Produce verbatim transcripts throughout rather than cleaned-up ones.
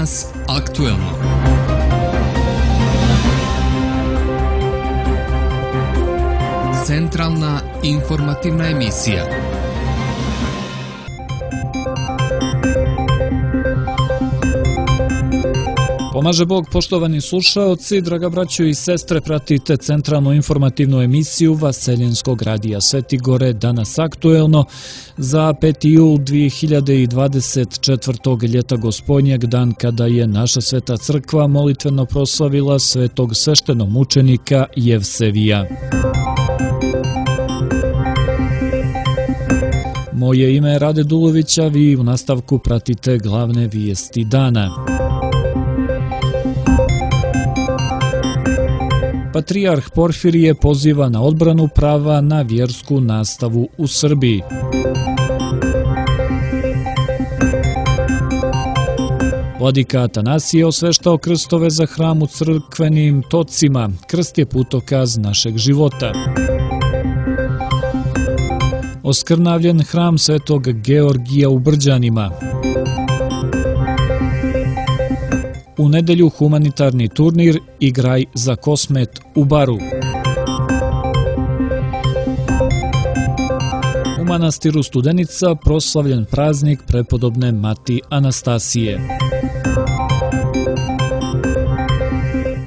Danas aktuelno. Centralna informativna emisija. Pomaže Bog, poštovani slušaoci, draga braćo i sestre, pratite centralnu informativnu emisiju Vaseljenskog radija Sveti Gore, danas aktuelno za peti jul dvije hiljade dvadeset četvrtog. ljeta Gospodnjeg, dan kada je naša Sveta Crkva molitveno proslavila svetog sveštenomučenika Jevsevija. Moje ime je Rade Dulović, a vi u nastavku pratite glavne vijesti dana. Patrijarh Porfirije poziva na odbranu prava na vjersku nastavu u Srbiji. Vladika Atanasije osveštao krstove za hram u crkvenim tocima. Krst je putokaz našeg života. Oskrnavljen hram Svetog Georgija u Brđanima. U nedelju humanitarni turnir Igraj za Kosmet u Baru. U manastiru Studenica proslavljen praznik prepodobne Mati Anastasije.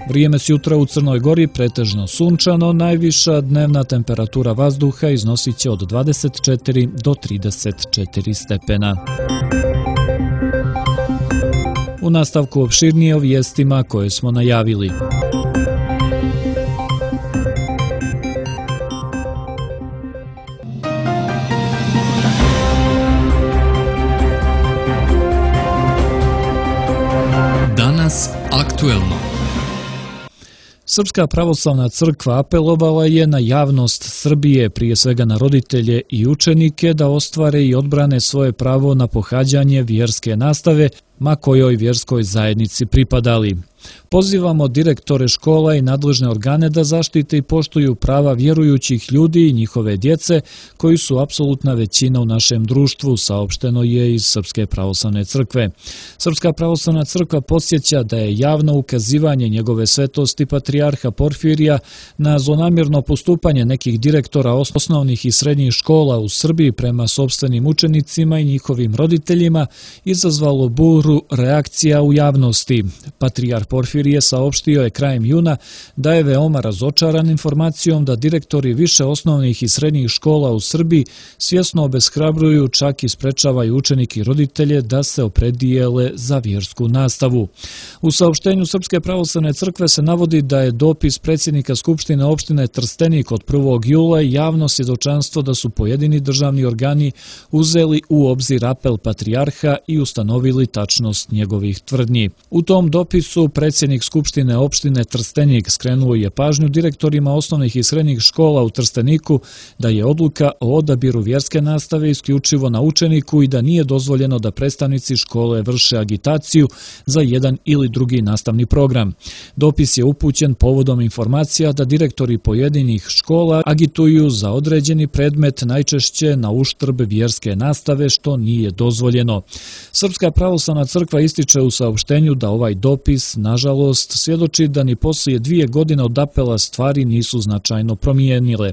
Vrijeme s jutra u Crnoj Gori pretežno sunčano, najviša dnevna temperatura vazduha iznosit će od dvadeset četiri do trideset četiri stepena. U nastavku opširnije o vijestima koje smo najavili. Danas aktuelno. Srpska pravoslavna crkva apelovala je na javnost Srbije, prije svega na roditelje i učenike, da ostvare i odbrane svoje pravo na pohađanje vjerske nastave, ma kojoj vjerskoj zajednici pripadali. Pozivamo direktore škola i nadležne organe da zaštite i poštuju prava vjerujućih ljudi i njihove djece, koji su apsolutna većina u našem društvu, saopšteno je iz Srpske pravoslavne crkve. Srpska pravoslavna crkva podsjeća da je javno ukazivanje njegove svetosti patrijarha Porfirija na zlonamjerno postupanje nekih direktora osnovnih i srednjih škola u Srbiji prema sopstvenim učenicima i njihovim roditeljima izazvalo buru reakcija u javnosti. Patrijarh Porfirije saopštio je krajem juna da je veoma razočaran informacijom da direktori više osnovnih i srednjih škola u Srbiji svjesno obeshrabruju, čak i sprečavaju učenike i roditelje da se opredijele za vjersku nastavu. U saopštenju Srpske pravoslavne crkve se navodi da je dopis predsjednika Skupštine opštine Trstenik od prvog jula javno svjedočanstvo da su pojedini državni organi uzeli u obzir apel patrijarha i ustanovili tačnost njegovih tvrdnji. U tom dopisu predsjednik Skupštine opštine Trstenik skrenuo je pažnju direktorima osnovnih i srednjih škola u Trsteniku da je odluka o odabiru vjerske nastave isključivo na učeniku i da nije dozvoljeno da predstavnici škole vrše agitaciju za jedan ili drugi nastavni program. Dopis je upućen povodom informacija da direktori pojedinih škola agituju za određeni predmet, najčešće na uštrb vjerske nastave, što nije dozvoljeno. Srpska pravoslavna crkva ističe u saopštenju da ovaj dopis, nažalost, svjedoči da ni poslije dvije godine od apela stvari nisu značajno promijenile.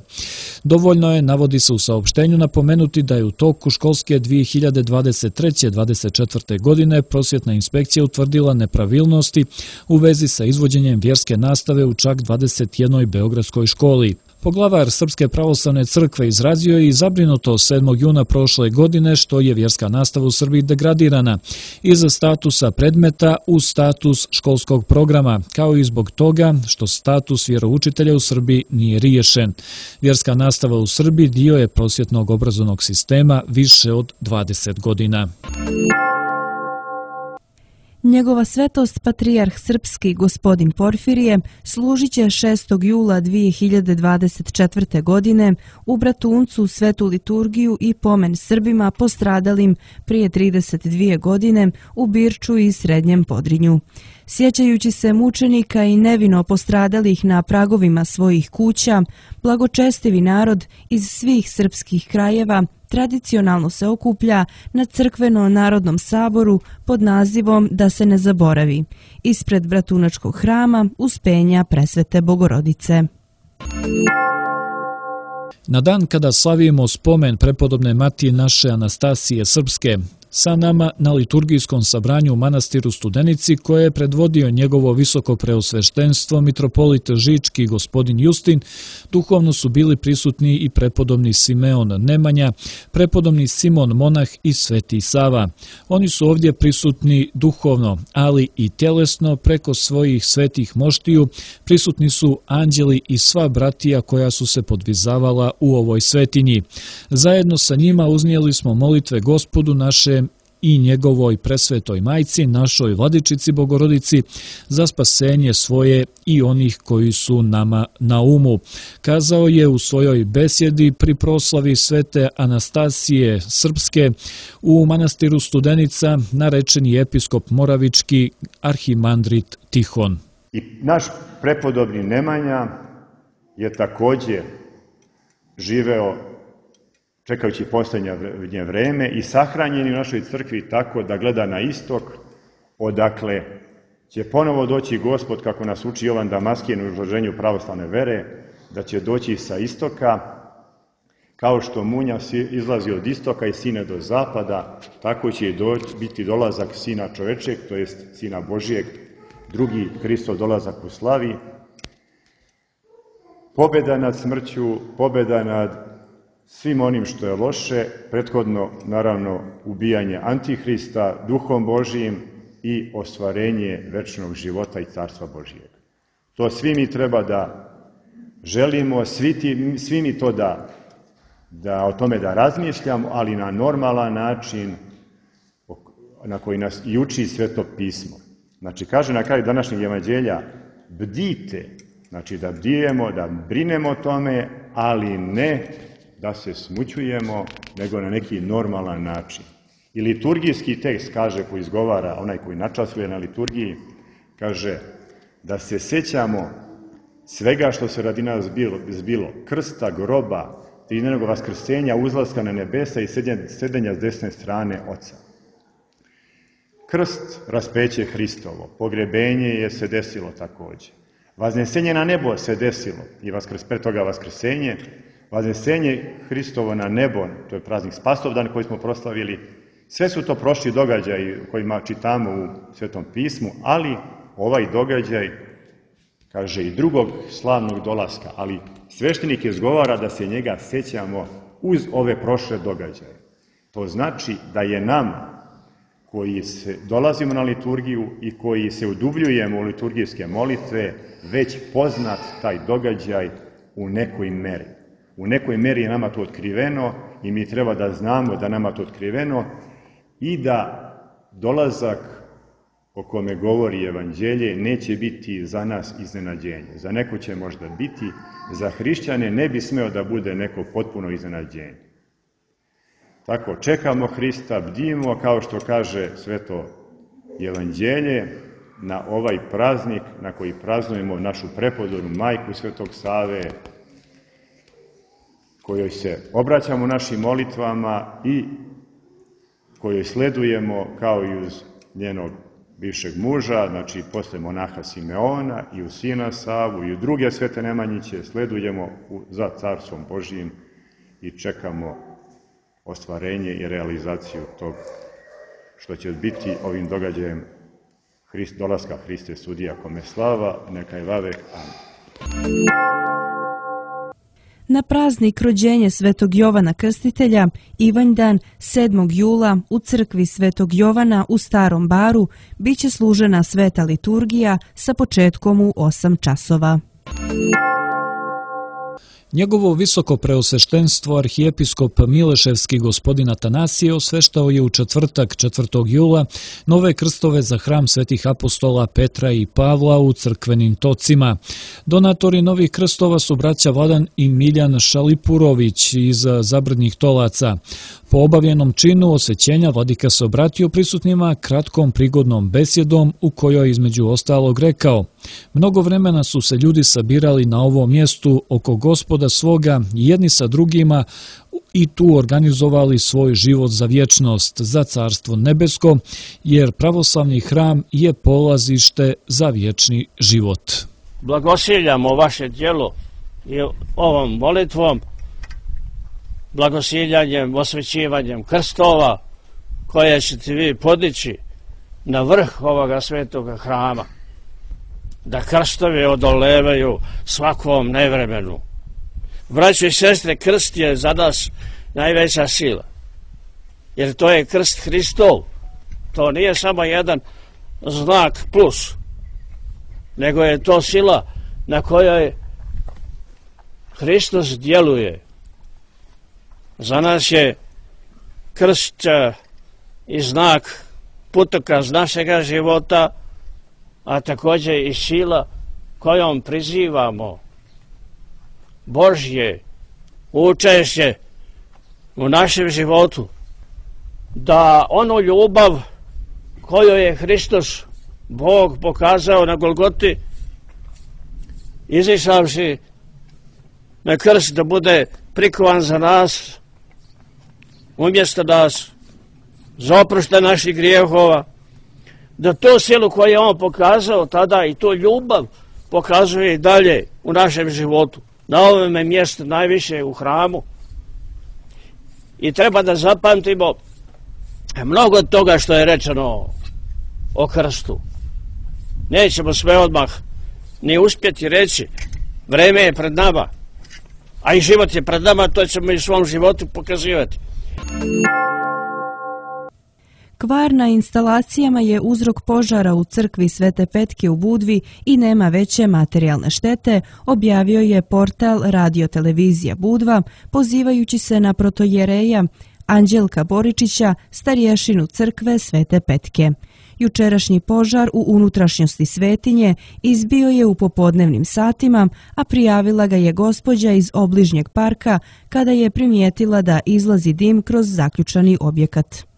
Dovoljno je, navodi se u saopštenju, napomenuti da je u toku školske dvije hiljade dvadeset treće dvadeset četvrte. godine prosvjetna inspekcija utvrdila nepravilnosti u vezi sa izvođenjem vjerske nastave u čak dvadeset jednoj beogradskoj školi. Poglavar Srpske pravoslavne crkve izrazio je i zabrinutost sedmog juna prošle godine što je vjerska nastava u Srbiji degradirana iz statusa predmeta u status školskog programa, kao i zbog toga što status vjeroučitelja u Srbiji nije riješen. Vjerska nastava u Srbiji dio je prosvjetnog obrazovnog sistema više od dvadeset godina. Njegova svetost patrijarh srpski gospodin Porfirije služit će šestog jula dvije hiljade dvadeset četvrte. godine u Bratuncu svetu liturgiju i pomen Srbima postradalim prije trideset dvije godine u Birču i Srednjem Podrinju. Sjećajući se mučenika i nevino postradalih na pragovima svojih kuća, blagočestivi narod iz svih srpskih krajeva tradicionalno se okuplja na crkveno-narodnom saboru pod nazivom Da se ne zaboravi, ispred Bratunačkog hrama Uspenja Presvete Bogorodice. Na dan kada slavimo spomen prepodobne matije naše Anastasije Srpske, sa nama na liturgijskom sabranju u manastiru Studenici, koje je predvodio njegovo visoko preosveštenstvo mitropolit Žički gospodin Justin, duhovno su bili prisutni i prepodobni Simeon Nemanja, prepodobni Simon Monah i Sveti Sava. Oni su ovdje prisutni duhovno, ali i tjelesno preko svojih svetih moštiju. Prisutni su anđeli i sva bratija koja su se podvizavala u ovoj svetinji. Zajedno sa njima uznijeli smo molitve Gospodu naše i njegovoj presvetoj majci, našoj Vladičici Bogorodici, za spasenje svoje i onih koji su nama na umu. Kazao je u svojoj besjedi pri proslavi svete Anastasije Srpske u manastiru Studenica narečeni episkop Moravički arhimandrit Tihon. I naš prepodobni Nemanja je također živeo čekajući posljednje vreme i sahranjen u našoj crkvi tako da gleda na istok, odakle će ponovo doći Gospod, kako nas uči Jovan Damaskin u izloženju pravoslavne vere, da će doći sa istoka, kao što munja izlazi od istoka i sine do zapada, tako će i biti dolazak Sina čovečeg, to jest Sina Božijeg, drugi Hristov dolazak u slavi. Pobjeda nad smrću, pobjeda nad svim onim što je loše, prethodno naravno ubijanje Antihrista Duhom Božijim i ostvarenje večnog života i Carstva Božijeg. To svi mi treba da želimo, svi, ti, svi mi to da, da o tome da razmišljamo, ali na normalan način na koji nas i uči Sveto pismo. Znači, kaže na kraju današnjeg evanđelja, bdite, znači da bdijemo, da brinemo o tome, ali ne da se smućujemo, nego na neki normalan način. I liturgijski tekst kaže, koji izgovara onaj koji načastvuje na liturgiji, kaže da se sjećamo svega što se radi nas bilo, zbilo, krsta, groba, tridenog vaskrsenja, uzlaska na nebesa i sedenja s desne strane Oca. Krst, raspeće Hristovo, pogrebenje je se desilo također. Vaznesenje na nebo se desilo i vaskrs, pre toga vaskrsenje, Vaznesenje Hristovo na nebo, to je praznik Spasovdan koji smo proslavili, sve su to prošli događaji kojima čitamo u Svetom pismu, ali ovaj događaj, kaže, i drugog slavnog dolaska, ali sveštenik izgovara da se njega sjećamo uz ove prošle događaje. To znači da je nama, koji se dolazimo na liturgiju i koji se udubljujemo u liturgijske molitve, već poznat taj događaj u nekoj meri. U nekoj meri je nama to otkriveno i mi treba da znamo da nama to otkriveno i da dolazak o kome govori evanđelje neće biti za nas iznenađenje. Za neko će možda biti, za hrišćane ne bi smeo da bude neko potpuno iznenađenje. Tako, čekamo Hrista, bdimo, kao što kaže Sveto evanđelje, na ovaj praznik na koji praznujemo našu prepodobnu majku Svetog Save, kojoj se obraćamo našim molitvama i kojoj sledujemo kao i uz njenog bivšeg muža, znači posle monaha Simeona i u sina Savu i u druge svete Nemanjiće, sledujemo za Carstvom Božijim i čekamo ostvarenje i realizaciju tog što će biti ovim događajem Hrist, dolaska Hriste sudija kome slava, neka je vavek. Amen. Na praznik rođenja Svetog Jovana Krstitelja, Ivanjdan, sedmog jula, u crkvi Svetog Jovana u Starom Baru, bit će služena sveta liturgija sa početkom u osam časova. Njegovo visoko preosveštenstvo arhijepiskop Mileševski gospodin Atanasije osveštao je u četvrtak četvrtog jula nove krstove za hram svetih apostola Petra i Pavla u crkvenim tocima. Donatori novih krstova su braća Vladan i Miljan Šalipurović iz Zabrdnjih Tolaca. Po obavljenom činu osvećenja vladika se obratio prisutnima kratkom prigodnom besjedom u kojoj između ostalog rekao: mnogo vremena su se ljudi sabirali na ovom mjestu oko Gospoda svoga jedni sa drugima i tu organizovali svoj život za vječnost, za carstvo nebesko, jer pravoslavni hram je polazište za vječni život. Blagosiljamo vaše djelo i ovom molitvom, blagosiljanjem, osvećivanjem krstova koje ćete vi podići na vrh ovoga svetoga hrama, da krstovi odolevaju svakom nevremenu. Braćo i sestre, krst je za nas najveća sila, jer to je krst Hristov. To nije samo jedan znak plus, nego je to sila na kojoj Hristos djeluje. Za nas je krst i znak, putokaz našega života, a također i sila kojom prizivamo Božje učešće u našem životu, da onu ljubav koju je Hristos, Bog, pokazao na Golgoti, izišavši na krst da bude prikovan za nas, umjesto nas, za oproštaj naših grijehova, da tu silu koju je on pokazao tada i tu ljubav pokazuje i dalje u našem životu, na ovome mjestu, najviše u hramu. I treba da zapamtimo mnogo toga što je rečeno o krstu. Nećemo sve odmah ni uspjeti reći, vreme je pred nama, a i život je pred nama, to ćemo i u svom životu pokazivati. Kvar na instalacijama je uzrok požara u crkvi Svete Petke u Budvi i nema veće materijalne štete, objavio je portal Radio-televizija Budva, pozivajući se na protojereja Anđelka Boričića, starješinu crkve Svete Petke. Jučerašnji požar u unutrašnjosti svetinje izbio je u popodnevnim satima, a prijavila ga je gospođa iz obližnjeg parka kada je primijetila da izlazi dim kroz zaključani objekat.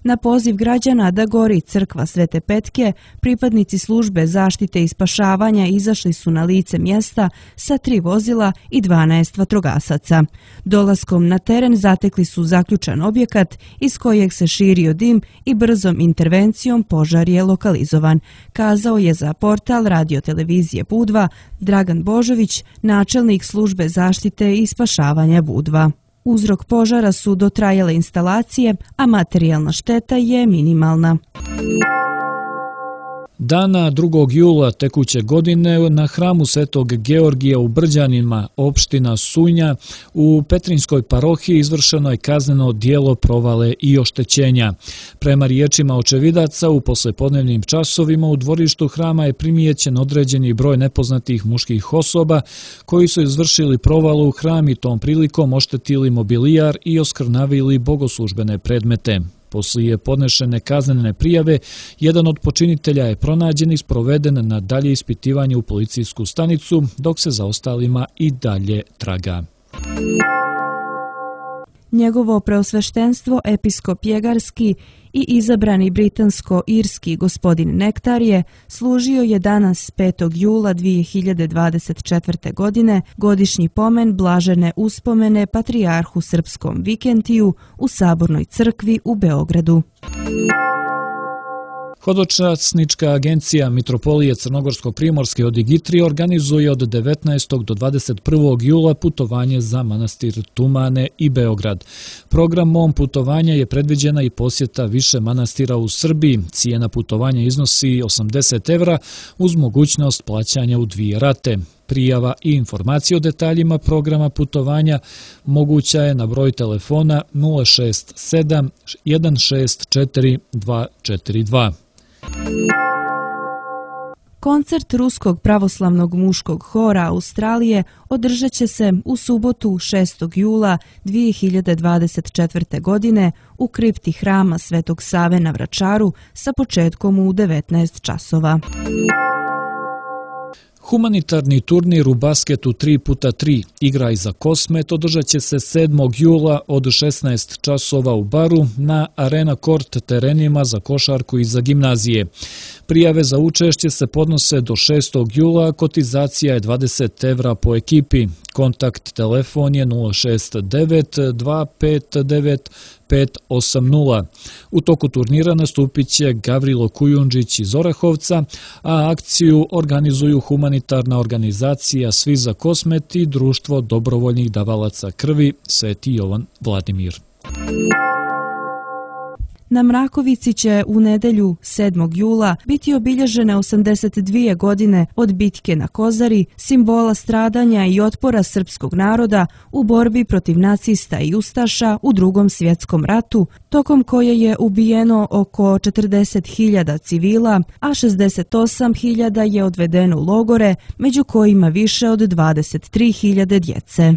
Na poziv građana da gori crkva Svete Petke, pripadnici službe zaštite i spašavanja izašli su na lice mjesta sa tri vozila i dvanaest vatrogasaca. Dolaskom na teren zatekli su zaključan objekat iz kojeg se širio dim i brzom intervencijom požar je lokalizovan, kazao je za portal Radio-televizije Budva Dragan Božović, načelnik službe zaštite i spašavanja Budva. Uzrok požara su dotrajale instalacije, a materijalna šteta je minimalna. Dana drugog jula tekuće godine na hramu Svetog Georgija u Brđanima, opština Sunja, u Petrinjskoj parohiji izvršeno je kazneno djelo provale i oštećenja. Prema riječima očevidaca, u poslepodnevnim časovima u dvorištu hrama je primijećen određeni broj nepoznatih muških osoba koji su izvršili provalu u hram i tom prilikom oštetili mobilijar i oskrnavili bogoslužbene predmete. Poslije podnešene kaznene prijave, jedan od počinitelja je pronađen i sproveden na dalje ispitivanje u policijsku stanicu, dok se za ostalima i dalje traga. Njegovo preosveštenstvo episkop Jegarski i izabrani britansko-irski gospodin Nektarije služio je danas petog jula dvije hiljade dvadeset četvrte. godine godišnji pomen blažene uspomene patrijarhu srpskom Vikentiju u Sabornoj crkvi u Beogradu. Hodočasnička agencija Mitropolije Crnogorsko-Primorske od Igitri organizuje od devetnaestog do dvadeset prvog jula putovanje za manastir Tumane i Beograd. Programom putovanja je predviđena i posjeta više manastira u Srbiji. Cijena putovanja iznosi osamdeset evra uz mogućnost plaćanja u dvije rate. Prijava i informacije o detaljima programa putovanja moguća je na broj telefona nula šest sedam jedan šest četiri dva četiri dva. Koncert Ruskog pravoslavnog muškog hora Australije održat će se u subotu šestog jula dvije hiljade dvadeset četvrte. godine u kripti hrama Svetog Save na Vračaru sa početkom u devetnaest časova. Humanitarni turnir u basketu tri puta tri Igraj za Kosmet održat će se sedmog jula od šesnaest časova u Baru na Arena Kort terenima za košarku i za gimnazije. Prijave za učešće se podnose do šestog jula, kotizacija je dvadeset evra po ekipi. Kontakt telefon je nula šest devet dva pet devet pet osam nula. U toku turnira nastupit će Gavrilo Kujundžić iz Orahovca, a akciju organizuju humanitarna organizacija Svi za Kosmet i Društvo dobrovoljnih davalaca krvi Sveti Jovan Vladimir. Na Mrakovici će u nedelju sedmog jula biti obilježene osamdeset dvije godine od bitke na Kozari, simbola stradanja i otpora srpskog naroda u borbi protiv nacista i ustaša u Drugom svjetskom ratu, tokom koje je ubijeno oko četrdeset hiljada civila, a šezdeset osam hiljada je odvedeno u logore, među kojima više od dvadeset tri hiljade djece.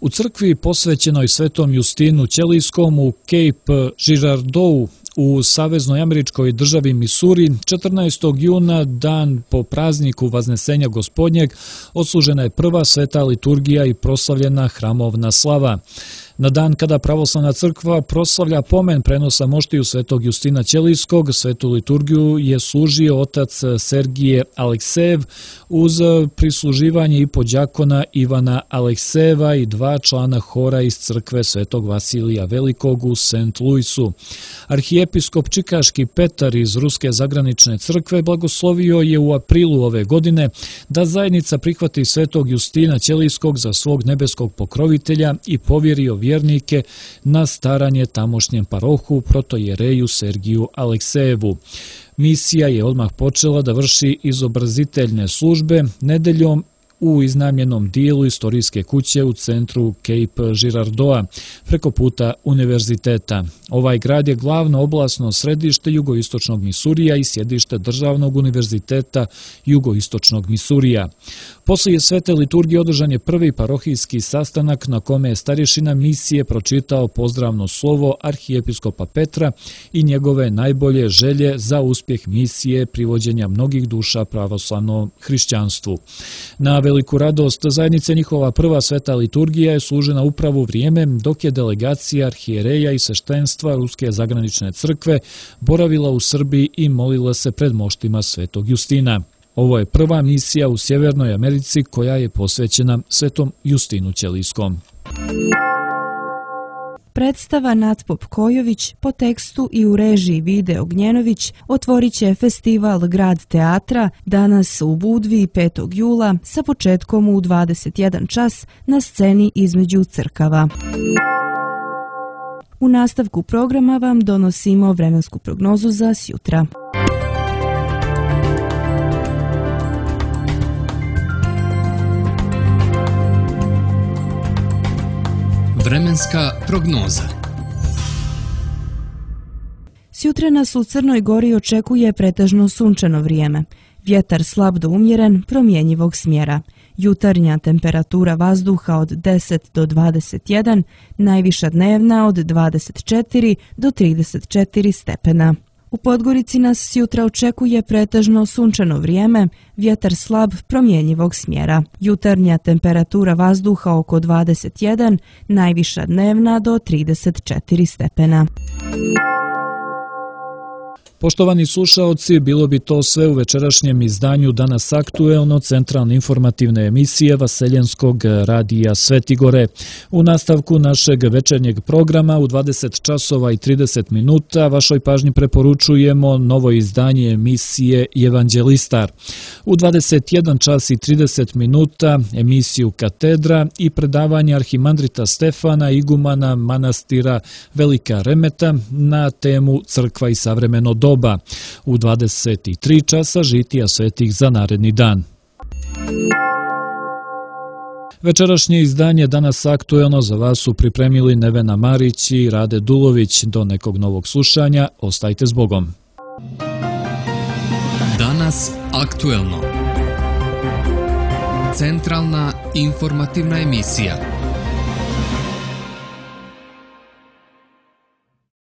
U crkvi posvećenoj Svetom Justinu Ćelijskom u Cape Girardeau u saveznoj američkoj državi Misuri četrnaestog juna, dan po prazniku Vaznesenja Gospodnjeg, odslužena je prva sveta liturgija i proslavljena hramovna slava. Na dan kada pravoslavna crkva proslavlja pomen prenosa moštiju Svetog Justina Ćelijskog, svetu liturgiju je služio otac Sergije Aleksejev uz prisluživanje i podjakona Ivana Aleksejeva i dva člana hora iz crkve Svetog Vasilija Velikog u Saint Louisu. Arhijepiskop Čikaški Petar iz Ruske zagranične crkve blagoslovio je u aprilu ove godine da zajednica prihvati Svetog Justina Ćelijskog za svog nebeskog pokrovitelja i povjerio vjernike na staranje tamošnjem parohu protojereju Sergiju Aleksejevu. Misija je odmah počela da vrši izobraziteljne službe nedeljom u iznajmljenom dijelu istorijske kuće u centru Cape Girardeau preko puta univerziteta. Ovaj grad je glavno oblasno središte jugoistočnog Misurija i sjedište Državnog univerziteta jugoistočnog Misurija. Poslije svete liturgije održan je prvi parohijski sastanak na kome je starješina misije pročitao pozdravno slovo arhijepiskopa Petra i njegove najbolje želje za uspjeh misije privođenja mnogih duša pravoslavnom hrišćanstvu. Na veliku radost zajednice njihova prva sveta liturgija je služena upravo u vrijeme dok je delegacija arhijereja i sveštenstva Ruske zagranične crkve boravila u Srbiji i molila se pred moštima Svetog Justina. Ovo je prva misija u Sjevernoj Americi koja je posvećena Svetom Justinu Ćelijskom. Predstava Natpop Kojović po tekstu i u režiji Vide Ognjenović otvorit će festival Grad teatra danas u Budvi petog jula sa početkom u dvadeset jedan čas na sceni između crkava. U nastavku programa vam donosimo vremensku prognozu za sjutra. Vremenska prognoza. Sjutra nas u Crnoj Gori očekuje pretežno sunčano vrijeme. Vjetar slab do umjeren, promjenjivog smjera. Jutarnja temperatura vazduha od deset do dvadeset jedan, najviša dnevna od dvadeset četiri do trideset četiri stepena. U Podgorici nas sjutra očekuje pretežno sunčano vrijeme, vjetar slab promjenjivog smjera. Jutarnja temperatura vazduha oko dvadeset jedan, najviša dnevna do trideset četiri stepena. Poštovani slušaoci, bilo bi to sve u večerašnjem izdanju Danas aktuelno, centralne informativne emisije Vaseljenskog radija Svetigore. U nastavku našeg večernjeg programa u dvadeset časova i trideset minuta vašoj pažnji preporučujemo novo izdanje emisije Evanđelistar. U dvadeset jedan čas i trideset minuta emisiju Katedra i predavanje arhimandrita Stefana, igumana manastira Velika Remeta na temu Crkva i savremeno doba. U dvadeset tri časa žitija svetih za naredni dan. Večerašnje izdanje Danas aktuelno za vas su pripremili Nevena Marić i Rade Dulović. Do nekog novog slušanja, ostajte s Bogom. Danas aktuelno. Centralna informativna emisija.